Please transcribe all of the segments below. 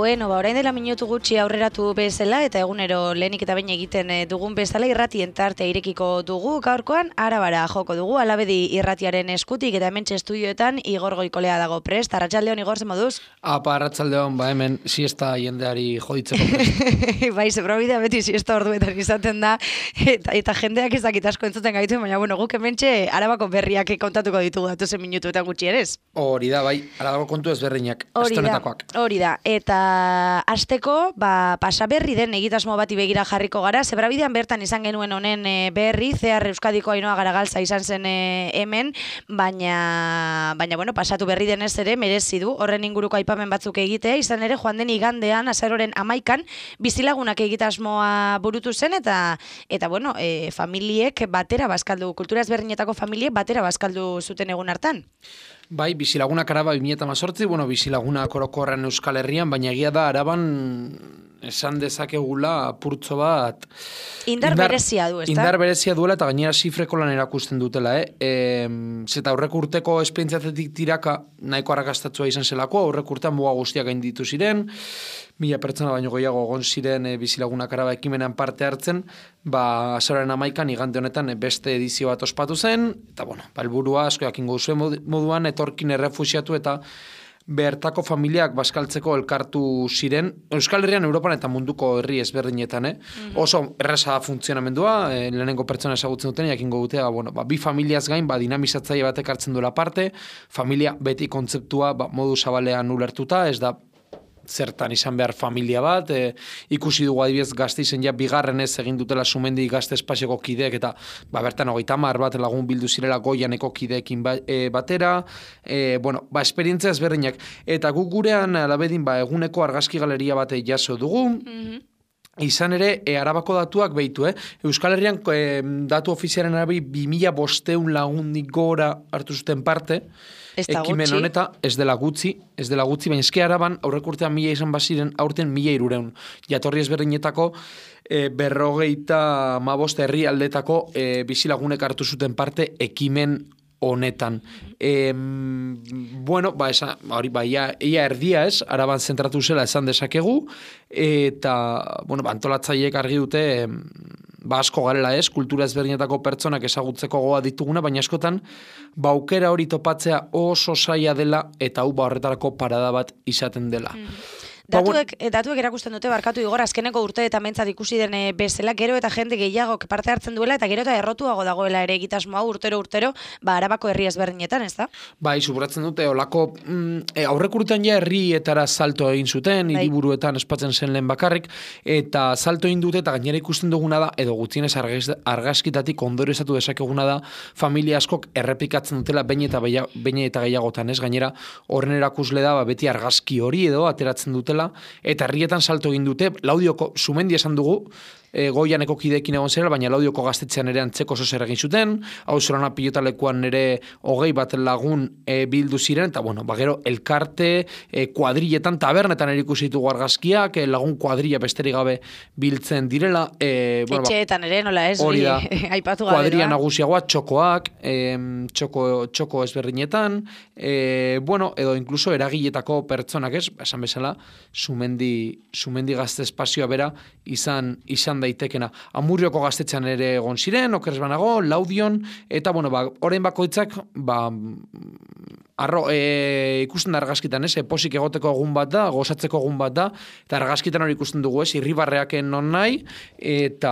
Bueno, orain dela minutu gutxi aurreratu bezala eta egunero lehenik eta behin egiten dugun bezala irratien tartea irekiko dugu. Gaurkoan Arabara joko dugu, Alabedi irratiaren eskutik eta hementxe estudioetan Igor Goikolea dago prest. Arratsaldeon, Igor, zen moduz? Arratsaldeon, hemen siesta jendeari joditzeko prest. Bai, zebrabidea beti siesta orduetan izaten da eta jendeak ez dakit asko entzuten gaitu, baina bueno, guk hementxe Arabako berriak kontatuko ditugu datuzen minutuetan gutxi ere ez? Hori da, bai, Arabako kontu ezberdinak, astonetakoak. Hori da, eta hasteko, pasaberri den egitasmo bati begira jarriko gara, zebrabidean bertan izan genuen honen berri, Zehar Euskadiko Ainhoa Garagaltza izan zen hemen, baina bueno, pasatu berri denez ere, merezi du, horren inguruko aipamen batzuk egitea, izan ere, joan den igandean, azaroren 11an, bizilagunak egitasmoa burutu zen, eta bueno, familiek batera bazkaldu, kultura ezberdinetako familiek batera bazkaldu zuten egun hartan. Bai, bizilagunak Araba 2018, bueno, bizilagunak orokorren Euskal Herrian, baina egia da Araban esan dezakegula apurtzo bat... Indar berezia du, ezta? Indar berezia duela eta gainera zifreko lan erakusten dutela, Zeta aurreko urteko esperientziatetik tiraka nahiko arrakastatua izan zelako, aurreko urtean muga guztiak gainditu ziren, 1000 pertsona baino gehiago egon ziren bizilagunak Araba ekimenean parte hartzen, azaroaren 11an igande honetan beste edizio bat ospatu zen, eta bueno, helburua asko jakingo duzuen moduan etorkin errefuxiatu eta bertako familiak bazkaltzeko elkartu ziren, Euskal Herrian, Europan eta munduko herri ezberdinetan, Oso erresa funtzionamendua, lehenengo pertsona ezagutzen duten, jakingo dutea, bi familiaz gain, dinamizatzaile batek hartzen duela parte, familia beti kontzeptua modu zabalean ulertuta, ez da zertan izan behar familia bat, ikusi dugu adibidez Gasteizen ja bigarrenez egin dutela Sumendi gazte espazioko kideek eta bertan 30 bat lagun bildu zirela Goianeko kideekin batera, esperientzia ezberdinak. Eta guk gurean Alabedin eguneko argazki galeria bat jaso dugu, Izan ere, Arabako datuak behitu, Euskal Herrian datu ofizialen arabi 2500 lagundik gora hartu zuten parte, ekimen honeta, ez dela gutxi, baina eske Araban aurreko urtean 1000 izan baziren, aurten 1300. Jatorri ezberdinetako 55 herrialdetako bizilagunek hartu zuten parte ekimen honetan. Ia erdia ez, Araban zentratu zela esan dezakegu, eta, antolatzaileek argi dute, asko garela ez, kultura ezberdinetako pertsonak ezagutzeko goa dituguna, baina askotan, aukera hori topatzea oso zaila dela, eta hau horretarako parada bat izaten dela. Datuek erakusten dute, barkatu Igor, azkeneko urte eta mentzat ikusi den bezala, gero eta jende gehiago parte hartzen duela, eta gero eta errotuago dagoela ere egitasmoa urtero, Arabako herri ezberdinetan, ez da? Bai, subratzen dute, olako, aurreko urtean ja herrietara salto egin zuten, hiriburuetan espatzen zen lehen bakarrik, eta salto egin dute, eta gainera ikusten duguna da, edo gutxienez argazkitatik ondorezatu dezakeguna da, familia askok errepikatzen dutela behin eta gehiagotan, ez? Gainera, horren erakusle da, beti argazki hori edo ateratzen dutela, eta herrietan salto egin dute, Laudioko Sumendi esan dugu, Goianeko kideekin egon zera, baina Laudioko gaztetxean ere antzeko zozer egin zuten, Auzorana pilotalekuan ere 20 bat lagun bildu ziren, eta gero elkarte, kuadrilletan, tabernetan ikusi ditugu argazkiak, lagun kuadrilla besterik gabe biltzen direla. Etxeetan ere, nola ez, aipatu gabe. Kuadrilla nagusiagoa, txokoak, txoko ezberdinetan, edo inkluso eragiletako pertsonak ez, esan bezala, Sumendi gazte espazioa bera izan daitekena. Amurrioko gaztetxean ere egon ziren, okerez banago, Laudion, eta orain bakoitzak, ikusten da argazkitan, posik egoteko egun bat da, gozatzeko egun bat da, eta argazkitan hori ikusten dugu, irribarreaken non nahi, eta,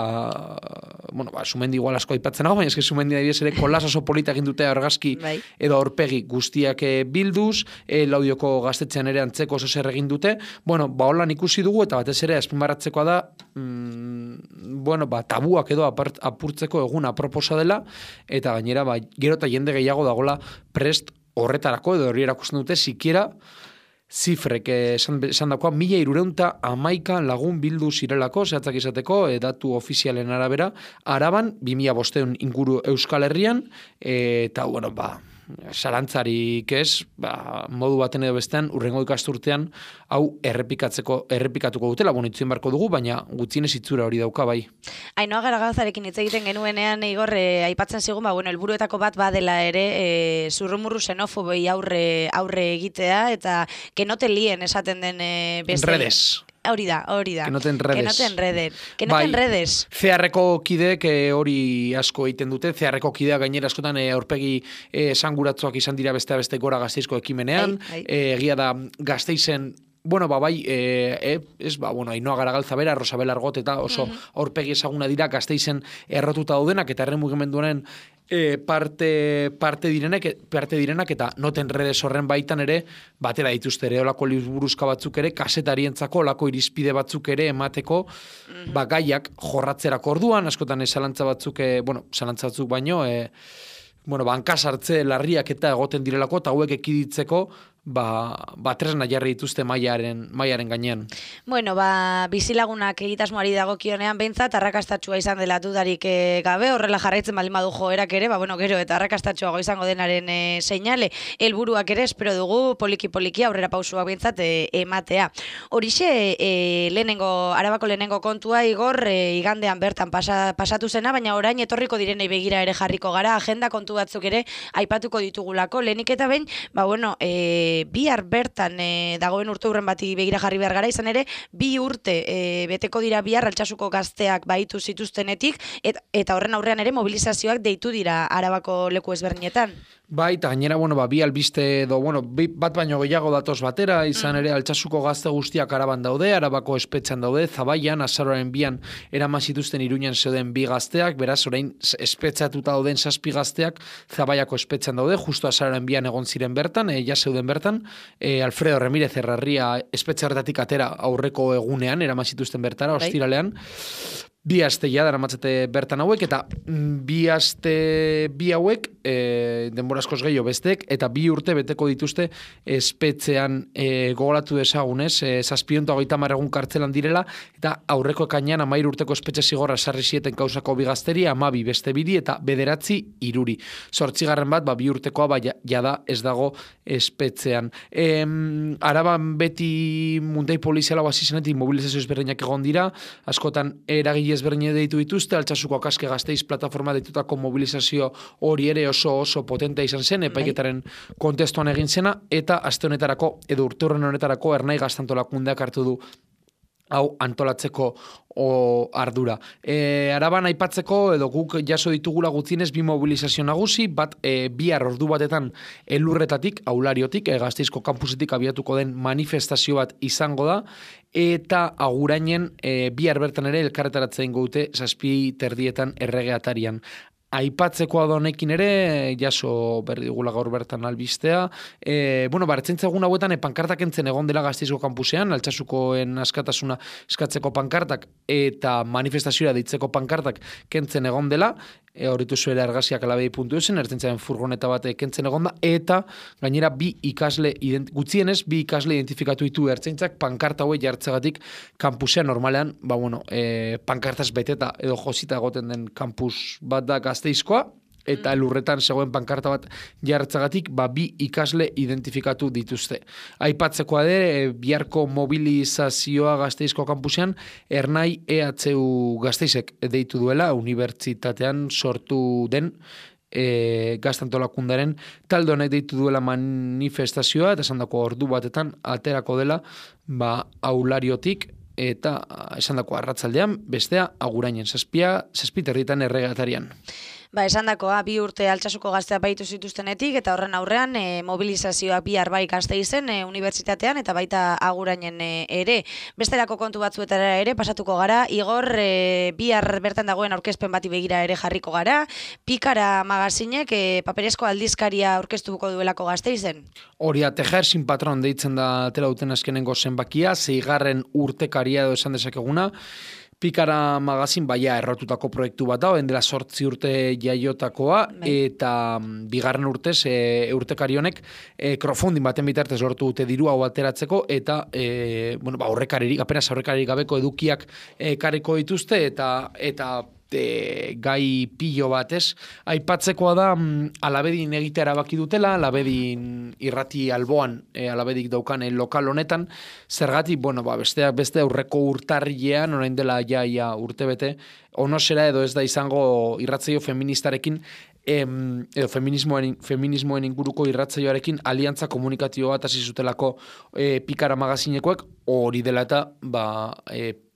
Sumendi igual asko aipatzen nago, baina eske Sumendi daibidez ere kolas oso polita egin dute argazki edo aurpegi guztiak bilduz, Laudioko gaztetxean ere antzeko oso zer egin dute, holan ikusi dugu, eta batez ere azpimarratzekoa da, tabuak edo apurtzeko egun aproposa dela, eta gainera, gero eta jende gehiago dagoela prest horretarako, edo hori erakusten dute, sikiera zifrek esan dakoa, 1311 lagun bildu zirelako, zehatzak izateko, datu ofizialen arabera, Araban, 2500 inguru Euskal Herrian, eta, sarantzarik ez, modu baten edo bestean, urrengo ikasturtean, hau errepikatuko dutela, itzuen barko dugu, baina gutxienez itzura hori dauka bai. Ainhoa Garagalzarekin hitz egiten genuenean, Igor, aipatzen zigun, helburuetako bat badela ere, zurrumurru xenofobei aurre egitea, eta que no te líen esaten den beste. Redes. Hori da. Que no te enredes. Que no te enredes. Zeharreko kideek hori asko egiten dute, zeharreko kidea gainera askotan aurpegi esanguratsuak izan dira beste gora Gasteizko ekimenean, egia da Gasteizen Ainhoa Garagalza bera, Rosabel Argot eta oso aurpegi ezaguna dira Gasteizen errotuta daudenak eta herri mugimenduaren parte direnak eta noten redes horren baitan ere batera dituzte ere olako liburuzka batzuk ere kasetarientzako olako irizpide batzuk ere emateko gaiak jorratzerako orduan askotan zalantza batzuk baino hankasartze larriak eta egoten direlako eta hauek ekiditzeko tresna jarri dituzte mailaren gainean. Bizilagunak egitasmoari dagokionean behintzat arrakastatsua izan dela dudarik gabe, horrela jarraitzen baldin badu joerak ere, gero eta arrakastatsuago izango denaren seinale, helburuak ere espero dugu poliki aurrera pausua behintzat ematea. Horixe Arabako lehenengo kontua, Igor, igandean bertan pasatu zena, baina orain etorriko direnei begira ere jarriko gara, agenda kontu batzuk ere aipatuko ditugulako, lehenik eta behin, bihar bertan dagoen urte hurren bati begira jarri behar gara, izan ere, 2 urte beteko dira bihar Altsasuko gazteak baitu zituztenetik, eta horren aurrean ere mobilizazioak deitu dira Arabako leku ezberdinetan. Eta gainera, bi albiste bat baino gehiago datoz batera, izan ere Altsasuko gazte guztiak Araban daude, Arabako espetxean daude, Zabaian, azaroaren 2an eraman zituzten Iruñan zeuden 2 gazteak, beraz orain espetxatuta dauden 7 gazteak Zabaiako espetxean daude, justo azaroaren 2an egon ziren bertan, ja zeuden bertan, Alfredo Remírez Herrarria espetxe horretatik atera aurreko egunean, eraman zituzten bertara, ostiralean, 2 aste ja daramatzate bertan hauek, eta 2 aste hauek, denbora askoz gehiago bestek, eta 2 urte beteko dituzte espetxean gogoratu desagunez, 730 egun kartzelan direla, eta aurreko ekainean 13 urteko espetxe zigorra sarri zieten kausako 2 gazteri, 12 beste 2 eta 9 iruri. 8. bat, 2 urtekoa jada ez dago espetxean. Araban beti muntai poliziala hasi zenetik mobilizazio ezberdinak egon dira, askotan eragile ezberdine deitu dituzte, Altsasuko Akaske Gasteiz plataforma deitutako mobilizazio hori ere oso potentea izan zen, epaiketaren kontestuan egin zena, eta aste honetarako, edo urte horren honetarako, Ernai Gaztantolakundeak hartu du hau antolatzeko ardura. Araban aipatzeko, edo guk jaso ditugula gutzienez 2 mobilizazio nagusi, bat bihar ordu batetan elurretatik, Aulariotik, Gasteizko kampusetik abiatuko den manifestazio bat izango da, eta Agurainen bihar bertan ere elkarretaratzen dute 7:30 erregeatarian. Aipatzekoa da honekin ere, jaso berri dugula gaur bertan albistea. Ertzaintza egun hauetan pankartak entzen egon dela Gasteizko kampusean, Altsasukoen askatasuna eskatzeko pankartak eta manifestazioa deitzeko pankartak kentzen egon dela, horritu zuela argazkiak alabei.eusen, ertzaintzaren furgoneta bat kentzen egon da, eta gainera gutxienez 2 ikasle identifikatu ditu ertzaintzak pankarta hauek jartzegatik kampusean normalean, pankartaz beteta edo josita egoten den kampus bat da Gasteizkoa, eta elurretan zegoen pankarta bat jartzagatik 2 ikasle identifikatu dituzte. Aipatzekoa ere, biharko mobilizazioa Gasteizko kampusean, Ernai EHU Gasteizek deitu duela, unibertsitatean sortu den Gaztantolakundaren talde honek deitu duela manifestazioa, eta esandako ordu batetan aterako dela Aulariotik, eta esandako arratzaldean, bestea Agurainen 7:30 erregatarian. Esandakoa 2 urte Altsasuko gazteak baitu zituztenetik, eta horren aurrean mobilizazioak bihar bai Gasteizen unibertsitatean, eta baita Agurainen ere. Besterako kontu batzuetara ere pasatuko gara, Igor, bihar bertan dagoen aurkezpen bati begira ere jarriko gara, Pikara magazinek paperezko aldizkaria aurkeztuko duelako Gasteizen. Hori, Tejer sin patron deitzen da atera duten azkenengo zenbakia, 6. urtekaria edo esan dezakeguna, Pikara magazin errotutako proiektu bat da, dela 8 urte jaiotakoa, eta 2. urtez urtekari honek crowdfunding baten bitartez lortu dute diru hau ateratzeko, eta apenas aurrekaririk gabeko edukiak kariko dituzte, eta gai pilo bat, ez? Aipatzekoa da, Alabedin egitea erabaki dutela, Alabedin irrati alboan, Alabedik daukan lokal honetan, zergatik, beste aurreko urtarrilean, orain dela ja urtebete, onosera edo ez da izango irratzaio feministarekin, edo feminismoen inguruko irratzaioarekin aliantza komunikatio bat hasi zutelako Pikara magazinekoek, hori dela eta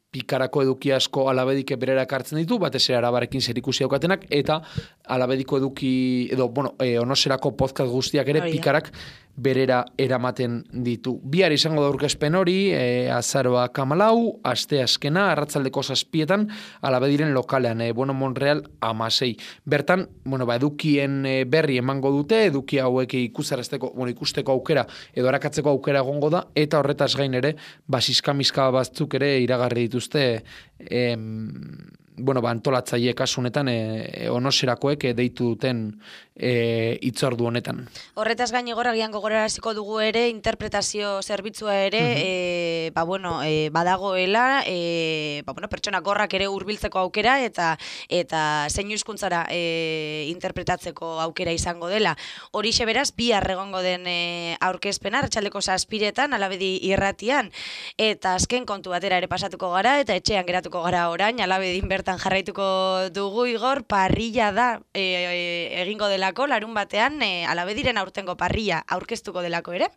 Pikarako eduki asko Alabedik berera ekartzen ditu, batez ere Arabarekin zerikusi daukatenak, eta Alabediko eduki, onoserako podcast guztiak ere Pikarak berera eramaten ditu. Bihar izango da aurkezpen hori, azaroak 14, aste azkena, arratsaldeko 7etan, Alabediren lokalean, Monreal 16. Bertan, edukien berri emango dute, eduki hauek ikusteko aukera, edo arakatzeko aukera egongo da, eta horretaz gain ere, basizkamizka batzuk ere iragarri dituzte, antolatzaile kasunetan onoserakoek deitu duten hitzordu honetan. Horretaz gain agian gogoraraziko dugu ere interpretazio zerbitzua ere badagoela pertsona gorrak ere hurbiltzeko aukera eta zein hizkuntzara interpretatzeko aukera izango dela. Horixe beraz bihar egongo den aurkezpena arratsaldeko 7etan Alabedi irratian, eta azken kontu batera ere pasatuko gara eta etxean geratuko gara orain Alabedin bertan jarraituko dugu. Igor, parrilla da egingo delako larun batean, Alabediren aurtengo parrilla aurkeztuko delako ere?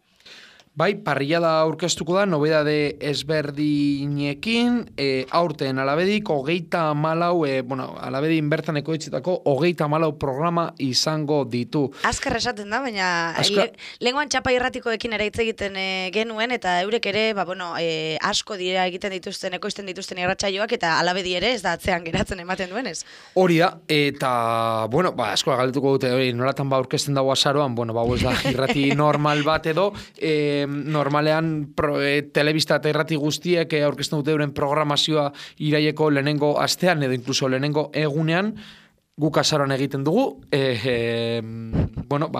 Bai, parrilla da aurkeztuko da, nobedade ezberdinekin, aurten Alabedik 34, Alabedin bertan ekoitzetako 34 programa izango ditu. Azkar esaten da, baina lenguan txapa irratikoekin ere hitz egiten genuen, eta eurek ere, asko dira egiten dituzten, ekoizten dituzten irratsaioak, eta Alabedi ere ez da atzean geratzen ematen duenez. Hori da, eta, asko galdetuko dute, nolatan aurkezten dago azaroan, ez da irrati normal bat edo, normalean telebista eta irrati guztiek aurkezten dute euren programazioa iraileko lehenengo astean edo inkluso lehenengo egunean, guk azaroan egiten dugu,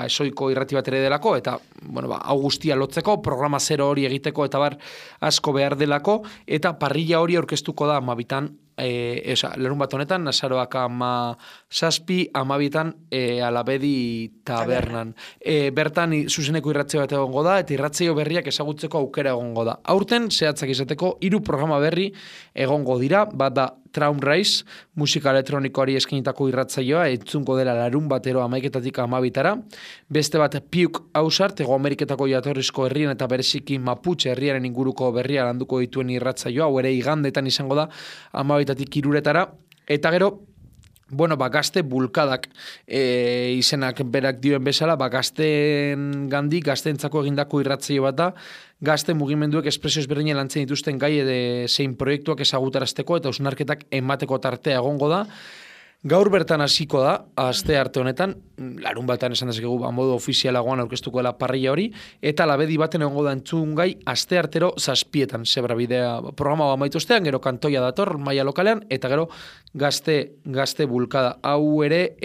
esoiko irrati bat ere delako, eta hau guztia lotzeko, programa zero hori egiteko eta asko behar delako, eta parrilla hori aurkeztuko da 12 lerun bat honetan, azaroak 17, 12 Alabedi tabernan. Bertan zuzeneko irratzaio bat egongo da, eta irratzaio berriak ezagutzeko aukera egongo da. Aurten, zehatzak izateko, 3 programa berri egongo dira, bat da Traum Rise, musika elektronikoari eskinitako irratzaioa, entzungo dela larun batero 11-etatik 12-tara. Beste bat Piuk Ausart, Hego Ameriketako jatorrizko herrien eta bereziki Mapuche herriaren inguruko berria landuko dituen irratzaioa, hau ere igandetan izango da 12-etatik 3-tara. Eta gero, gazte bulkadak izenak berak dioen bezala, gazteen gandik, gazteentzako egindako irratzaio bat da, gazte mugimenduek espresio ezberdinen lantzen dituzten gai zein proiektuak ezagutarazteko eta hausnarketak emateko tartea egongo da. Gaur bertan hasiko da, aste arte honetan, larun batean esan dezakegu modu ofizialagoan aurkeztuko dela parrilla hori, eta Alabedi baten egongo da entzun gai aste artero 7etan, zebra bidea programa amaituztean, gero kantoia dator, maila lokalean, eta gero gazte bulkada. Hau ere,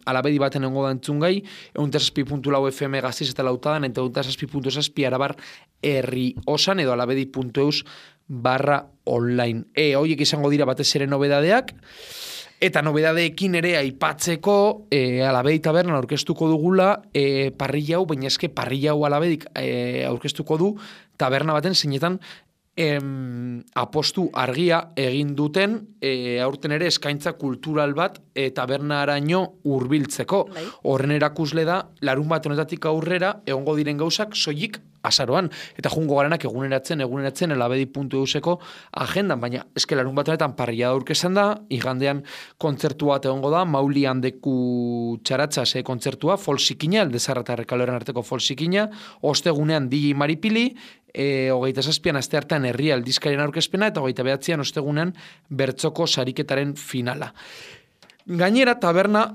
Alabedi baten egongo da entzun gai, 107.4 FM Gaztiz eta Lautadan, eta 107.7 Arabar herri osan, edo alabedi.eus/online. Horiek izango dira batez ere nobedadeak, eta nobedadeekin ere aipatzeko Alabedi tabernan aurkeztuko dugula parrilla hau, baina eske parrilla hau Alabedik aurkeztuko du taberna baten zeinetan apostu argia egin duten aurten ere eskaintza kultural bat tabernaraino hurbiltzeko. Horren erakusle da, larun bat honetatik aurrera egongo diren gauzak soilik azaroan, eta jungo garanak eguneratzen Alabedi.euseko agendan, baina eske larun bat honetan parrilla aurkezan da, igandean kontzertu bat egongo da, Mauli handeku txaratzaz kontzertua, folsikina, Aldezarra eta Errekaloren arteko folsikina, ostegunean DJ Maripili, 27an aste hartan herria aldizkarien aurkezpena, eta 29an ostegunean bertzoko sariketaren finala. Gainera, taberna,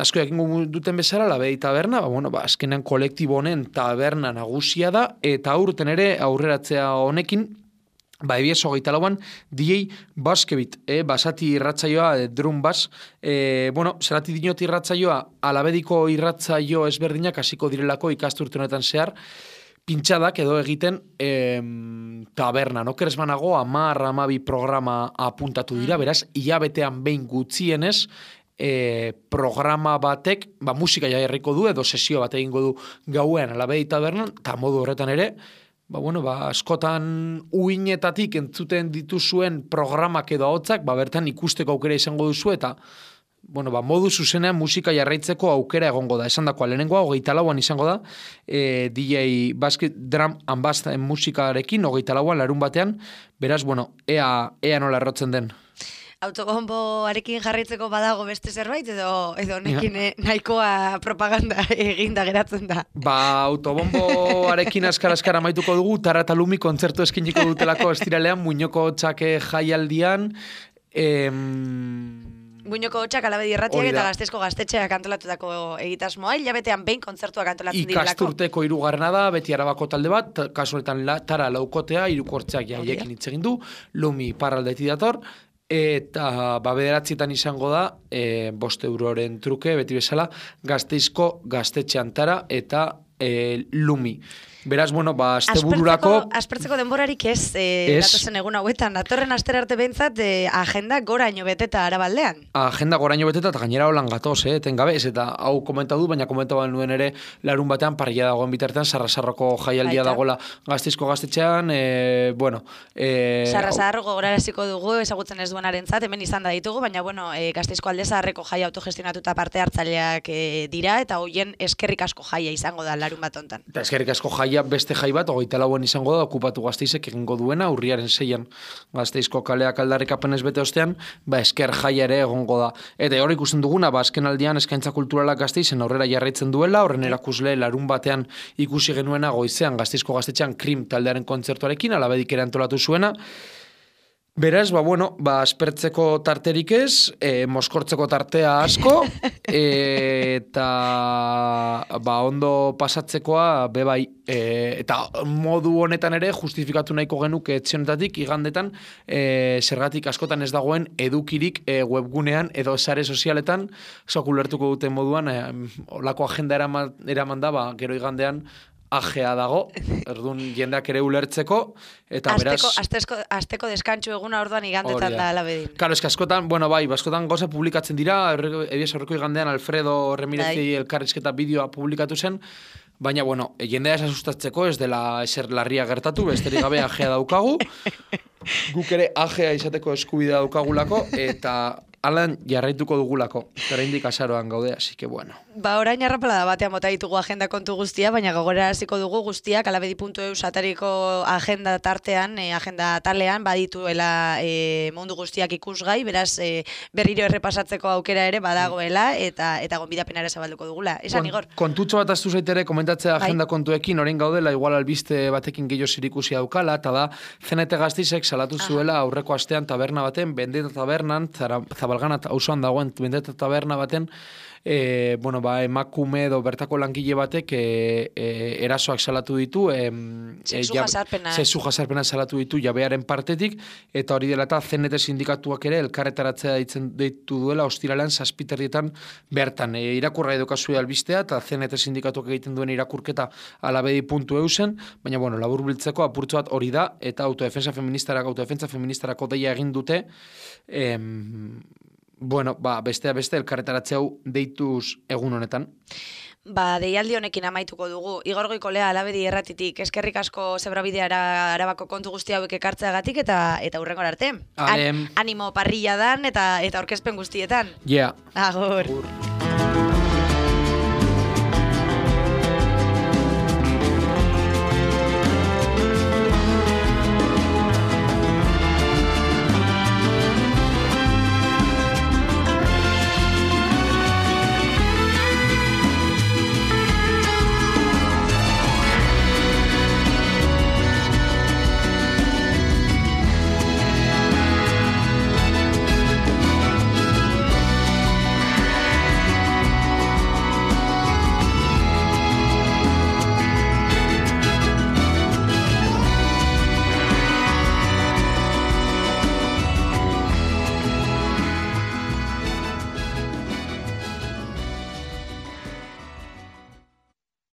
asko jakingo duten bezala, Alabedi taberna, azkenean kolektibo honen taberna nagusia da, eta aurten ere aurreratzea honekin, ebies 24an DJ Baskebit, basati irratzaioa, drum bass, zerati dinot irratzaioa, Alabediko irratzaio ezberdinak hasiko direlako ikasturte honetan zehar, pintxadak edo egiten taberna, no keresmanago 10-12 programa apuntatu dira, beraz, hilabetean behin gutxienez, programa batek, musika jarriko du, edo sesio bat egingo du gauean alabedi tabernan, eta modu horretan ere, askotan uinetatik entzuten dituzuen programak edo ahotzak, bertan ikusteko aukera izango duzu, eta modu zuzenean musika jarraitzeko aukera egongo da. Esan dakoa, lehenengoa, 24an izango da, DJ Basket Drum and Bass musikarekin, 24an, larun batean, beraz, ea nola errotzen den. Autobomboarekin jarraitzeko badago beste zerbait, edo nekin nahikoa propaganda eginda geratzen da. Autobomboarekin askar amaituko dugu, Tara eta Lumi kontzertu eskiniko dutelako estiralean, Muñoko Txake jaialdian, Muñoko Hotxak Alabedi Irratiak eta Gasteizko Gaztetxeak antolatutako egitasmoa, hilabetean behin kontzertuak antolatzen direlako. Ikasturteko 3. da, beti Arabako talde bat, kasu honetan Tara laukotea, hirukortzeak jaiekin hitz egin du, Lumi parraldetik dator, eta 9etan izango da, 5 euroren truke, beti bezala, Gasteizko Gaztetxean Tara eta Lumi. Beraz, astebururako... Aspertzeko denborarik ez, datozen egun hauetan. Datorren astera arte behintzat, agenda goraino beteta Arabaldean. Agenda goraino beteta, eta gainera holan gatoz, etengabe, ez eta hau komentatu, baina komentatu nuen ere larun batean, parrilla dagoen bitartean, Sarrasarroko jaialdia dagoela Gasteizko Gaztetxean, Sarrasarroko goraraziko dugu, ezagutzen ez duenarentzat, hemen izan da ditugu, baina, Gasteizko Aldezaharreko jai autogestionatuta parte hartzaileak dira, eta hoien eskerrik asko jaia izango da larun bat hontan. Eta eskerrik asko jaia beste jai bat, 24an izango da, okupatu Gasteizek egingo duena, urriaren 6an Gasteizko kaleak aldarrikapenez bete ostean, esker jaia ere egongo da. Eta hor ikusten duguna, azken aldian eskaintza kulturalak Gasteizen aurrera jarraitzen duela, horren erakusle larun batean ikusi genuena goizean Gasteizko Gaztetxean Krim taldearen kontzertuarekin, Alabedik ere antolatu zuena. Beraz, aspertzeko tarterik ez, moskortzeko tartea asko, eta ondo pasatzekoa bebai. Eta modu honetan ere justifikatu nahiko genuke etxionetatik igandetan zergatik askotan ez dagoen edukirik webgunean edo sare sozialetan, ulertuko duten moduan, olako agenda eraman da, gero igandean, agea dago, orduan jendeak ere ulertzeko, eta beraz... Asteko deskantxu eguna orduan igandetan da Alabedin. Karo, askotan, askotan goza publikatzen dira, ebiaz horreko igandean Alfredo Remirezi elkarrizketa bideoa publikatu zen, baina, jendea asustatzeko ez dela eser larria gertatu, besterik gabe agea daukagu, guk ere agea izateko eskubidea daukagulako, eta... Alan jarraituko dugulako, oraindik azaroan gaude, así que bueno. Orain arrapalada batean bota ditugu agenda kontu guztia, baina gogoraraziko dugu guztiak alabedi.eus atariko agenda tartean, agenda talean, badituela mundu guztiak ikusgai, beraz berriro errepasatzeko aukera ere badagoela, eta gonbidapen ere zabalduko dugula. Esan, Igor? Kontutxo bat aztu zaitere komentatzea agenda kontuekin, orain gaudela, igual albiste batekin gehiago zerikusia daukala, eta da, Zenete Gasteizek salatu zuela aurreko astean taberna baten, Bendeta tabernan, Zabalgana auzoan dagoen Bendeta taberna baten, emakume edo bertako langile batek erasoak salatu ditu, sexu jasarpena salatu ditu jabearen partetik, eta hori dela eta CNT sindikatuak ere elkarretaratzea deitu duela ostiralean 7:00 bertan. Irakurra edukazu albistea, eta CNT sindikatuak egiten duen irakurketa alabedi.eusen, baina laburbiltzeko apurtxo bat hori da, eta autodefensa feministarako deia egin dute, bestea beste elkarretaratze hau deituz egun honetan. Deialdi honekin amaituko dugu. Igor Goikolea Alabedi Irratitik eskerrik asko Zebrabideara Arabako kontu guzti hauek ekartzeagatik eta hurrengora arte. Animo parrilladan eta aurkezpen guztietan. Yeah. Agur.